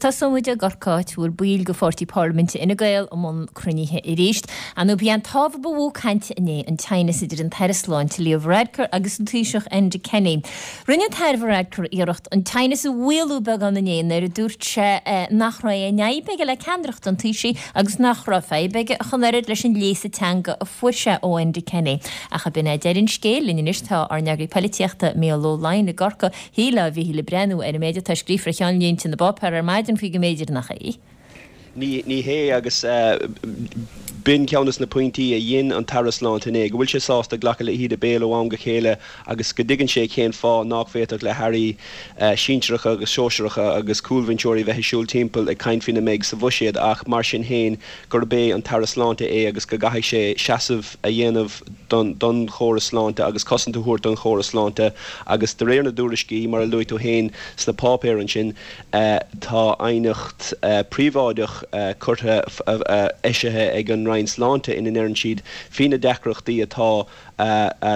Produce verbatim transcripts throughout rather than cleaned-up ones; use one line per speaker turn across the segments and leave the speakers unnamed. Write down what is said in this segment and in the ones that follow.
tosóidh muid i gCorcaigh, áit a bhfuil baill de pháirtí parlaiminte Fhine Gael i mbun cruinnithe arís. Ar ndóigh b'é an t-ábhar ba mhó cainte inné an teannas idir an tAire Sláinte Leo Varadkar agus an Taoiseach Enda Kenny. Rinne an tAire Varadkar iarracht an teannas a mhaolú beagán inné nuair a dúirt sé nach raibh aon fhadhb aige le ceannaireacht an Taoisigh agus nach raibh fadhb aige ach an oiread leis an léasadh teanga a fuair sé ó Enda Kenny. Ach ab in é deireadh an scéil linn anois tá ár n-eagraí polaitíochta Mícheál Ó Laighin i gCorcaigh a Mhíchíl ag breathnú ar an méid atá scríofa ar cheannlínte na bpáipéar ar maidin faoi go mb'fhéidir nach é.
Ní ní hé agus b'in ceann de na pointí a dhein an tAire Sláinte inné, go bhfuil sé sásta glacadh le híde béil ó am go chéile agus go dtuigeann sé cén fáth nach bhféadfadh le hairí sinsearacha agus sóisearacha agus cúlbhinseoirí bheith ag siúl timpeall ag caint faoina mbeidh sa bhuiséad ach mar sin féin gurb é an tAire Sláinte é agus go gcaithfidh sé seasamh a dhéanamh don don chóras sláinte agus cosaint a thabhairt don chóras sláinte agus de réir na dtuairiscí mar a luaigh tú féin sna páipéir ansin tá aighneacht príobháideach curtha eisithe ag an Roinn Sláinte ina ndeireann siad faoi na deacrachtaí atá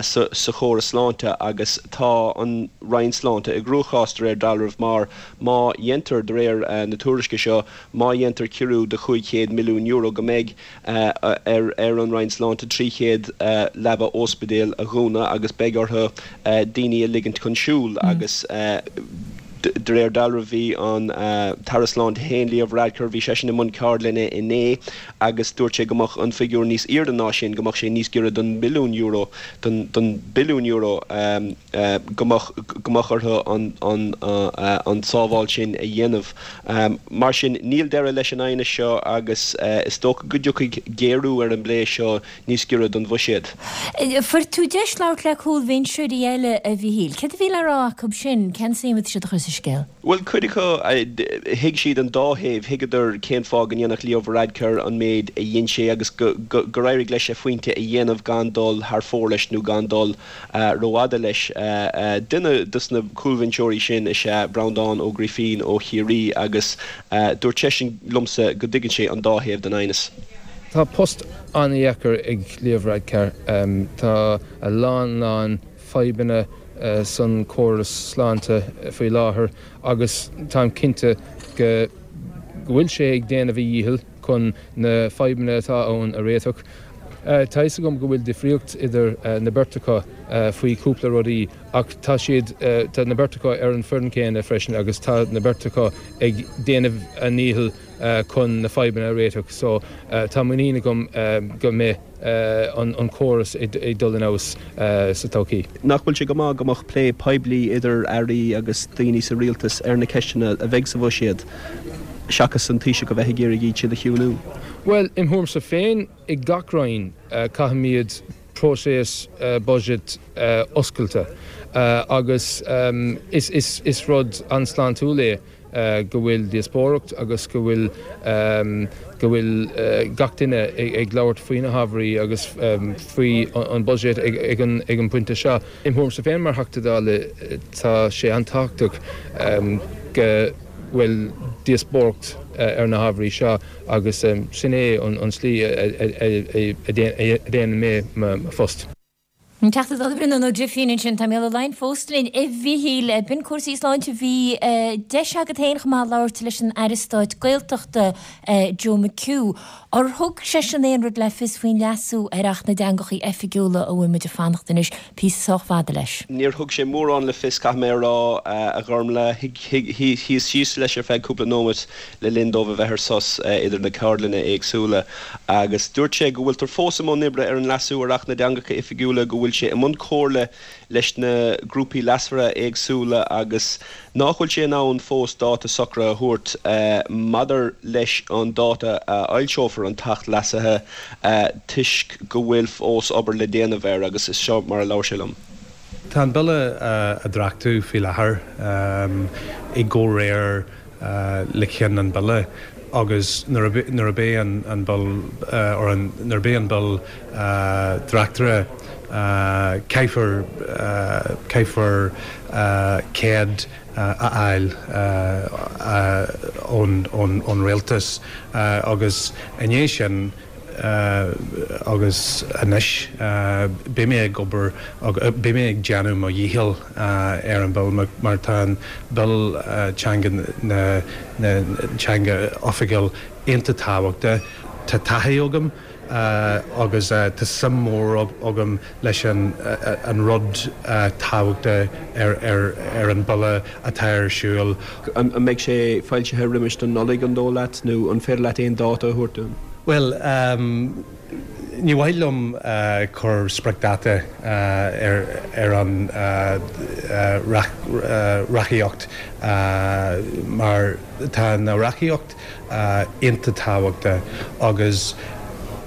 sa chóras sláinte agus tá an Roinn Sláinte i gcruachás de réir dealraimh mar má dhéantar de réir na tuairisce seo má dhéantar ciorrú de chúig chéad milliún euro go mbeidh ar ar an Roinn Sláinte trí chéad leaba ospidéal a dhúnadh agus beidh orthu daoine a ligint chun siúil agus de réir dealraimh bhí an tAire Sláinte féin Leo Varadkar bhí seisean i mbun ceardlainne inné agus dúirt sé go mbeadh an figiúr níos airde ná sin, go mbeadh sé níos giorra don mbilliún euro, don don billiún euro go mbeadh go mbeadh orthu an an an tsábháil sin a dhéanamh. Mar sin níl deireadh leis an aighneas seo agus is dócha go dtiocfaidh géarú ar an bplé seo níos giorra don bhuiséad.
Fuair tú deis labhairt le cúlbhinseoirí eile a Mhíchíl. Céard a bhí le rá acu sin? Cén suim atá siad a chur sa scéal?
Bhuel, cuid acu, thuig siad an dá thaobh, thuigeadar cén fáth go ndéanfadh Leo Varadkar an méid a dhein sé agus gur éirigh leis a phointe a dhéanamh gan dul thar fóir leis nó gan dul rófhada leis. Duine dos na cúlbhinseoirí sin is ea Breandán Ó Grífín ó Chiarraí agus dúirt seisean liomsa go dtuigeann sé an dá thaobh den aighneas.
Tá post an-dheacair ag Leo Varadkar. Tá a lán lán fadhbanna san córas sláinte faoi láthair agus táim cinnte go bhfuil sé ag déanamh a dhícheall chun na fadhbanna atá ann a réiteach. Tá fhios agam go bhfuil difríocht idir na beirt acu faoi cúpla rudaí ach tá siad, tá na beirt acu ar an foireann céanna freisin agus tá na beirt acu ag déanamh a ndícheall chun na fadhbanna a réiteach so tá muinín agam go mbeidh an córas ag dul in fheabhas sa todhchaí.
Nach bhfuil sé go maith go mbeadh plé poiblí idir airí agus daoine sa rialtas ar na ceisteanna a bheidh sa bhuiséad seachas an Taoiseach a bheith ag iarraidh iad sin a chiúnú?
Bhuel, im thuairimse féin, i gach roinn caithfimid próiseas budget oscailte agus is rud an-sláintiúil é go bhfuil díospóireacht agus go bhfuil go bhfuil gach duine ag labhairt faoi na hábhairí agus faoi an budget ag an ag an bpointe seo. Im thuairimse féin mar Theachta Dála tá sé an-tábhachtach go bhfuil díospóireacht ar na hábhairí seo agus sin é an slí a dhéanann mé mo phost.
An Teachta Dála Breandán Ó Grifín ansin. Tá Mícheál Ó Laighin fós linn. A Mhíchíl, b'in cúrsaí sláinte. Bhí deis agat féin chomh maith labhairt leis an Aire Stáit Gaeltachta, Joe McHugh. Ar thug seisean aon rud le fios faoin leasú ar Acht na dTeangachaí Oifigiúla a bhfuil muid ag fanacht anois píosa sách fada leis?
Níor thug sé mórán le fios, caithfidh mé a rá, a Ghormfhlaith. Shuíos síos leis ar feadh cúpla nóiméad le linn dóibh a bheith ar sos idir na ceardlanna éagsúla agus dúirt sé go bhfuiltear fós i mbun oibre ar an leasú ar Acht na dTeangacha Oifigiúla, go bhfuil sé i mbun comhairle leis na grúpaí leasmhara éagsúla agus nach bhfuil sé in ann fós dáta socraithe a thabhairt maidir leis an dáta a fhoilseofar an tAcht leasaithe toisc go bhfuil fós obair le déanamh air agus is seo mar a labhair sé liom.
Tá an Bille á dhreachtú faoi láthair i gcomhréir le ceann an Bille agus nuair a bheidh an Bille nuair a bheidh an Bille dreachtaithe caithfear caithfear cead a fháil ón ón Rialtas agus i ndiaidh sin Agus anois beidh mé ag obair, beidh mé ag déanamh mo dhícheall ar an bille mar tá an Bille Teanga na teanga oifigiúil iontach tábhachtach. Tá taithí agam agus tá suim mór agam leis an rud tábhachtach ar an bille atá ar siúl.
An mbeidh sé foilsithe roimis don Nollaig, an dóigh leat, nó an féidir leat aon dáta a thabhairt dúinn?
Bhuel, ní mhaith liom cur spriocdháta ar an reachtaíocht mar tá na reachtaíocht iontach tábhachtach agus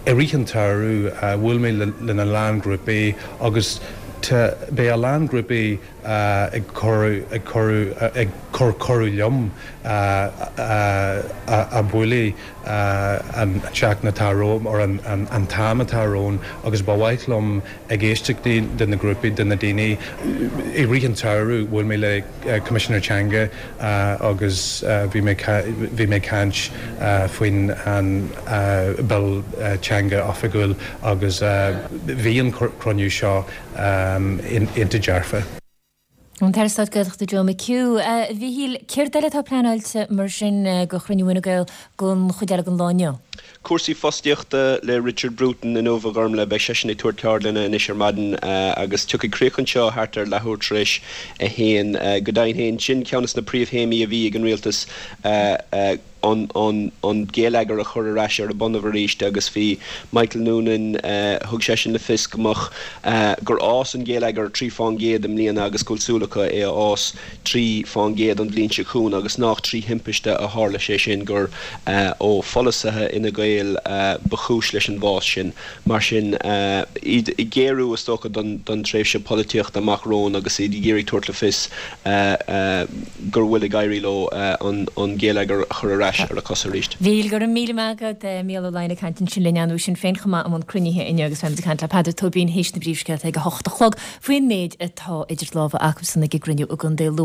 i rith an tsamhraidh bhuail mé lena lán grúpaí agus tá beidh a lán grúpaí ag cur ag cur ag cur cuireadh liom a bualadh an tseachtain atá romham or an an t-am atá romhainn agus ba mhaith liom ag éisteacht de na grúpaí de na daoine i rith an tsamhraidh bhuail mé le Coimisinéir Teanga agus bhí mé bhí mé ag caint faoin an Bill Teanga Oifigiúil agus bhí an cruinniú seo iontach dearfa.
An tAire Stáit Gaeltachta Joe McHugh. A Mhíchíl, céard eile atá pleanáilte mar sin do chruinniú Fhine Gael don chuid eile den lá inniu?
Cúrsaí fostaíochta le Richard Bruton inniu, a Ghormlaith. Beidh seisean ag tabhairt ceardlainne anois ar maidin agus tiocfaidh críoch anseo thart ar leathuair tar éis a haon. Go deimhin féin, sin ceann de na príomhthéamaí a bhí ag an rialtas, an geilleagar a chur ar ais ar a bonnaibh arís agus bhí Michael Noonan, thug seisean le fios go mbeadh, gur fhás an geilleagar trí fán gcéad i mbliana agus go bhfuil súil acu é a fhás trí fán gcéad an bhliain seo chugainn agus nách trí thimpiste a tharla sé sin, gur ó pholasaithe Fhine Gael ba chúis leis an bhfás sin. Mar sin, iad ag géarú, is dócha, don tréimhse polaitíochta amach romhainn agus iad ag iarraidh tabhairt le fios gur bhfuil ag éirí leo an geilleagar a chur ar ais ar a cosa arís.
Mhíchíl, go raibh míle maith agat. Mícheál Ó Laighin ag caint ansin linn ar ndóigh Sinn Féin chomh maith i mbun cruinnithe inniu agus beimid ag caint le Peadar Tóibín théis na bpríomhscéalta ag a hocht a chlog faoin méid atá idir lámha acusan ag an gcruinniú i gContae Lú.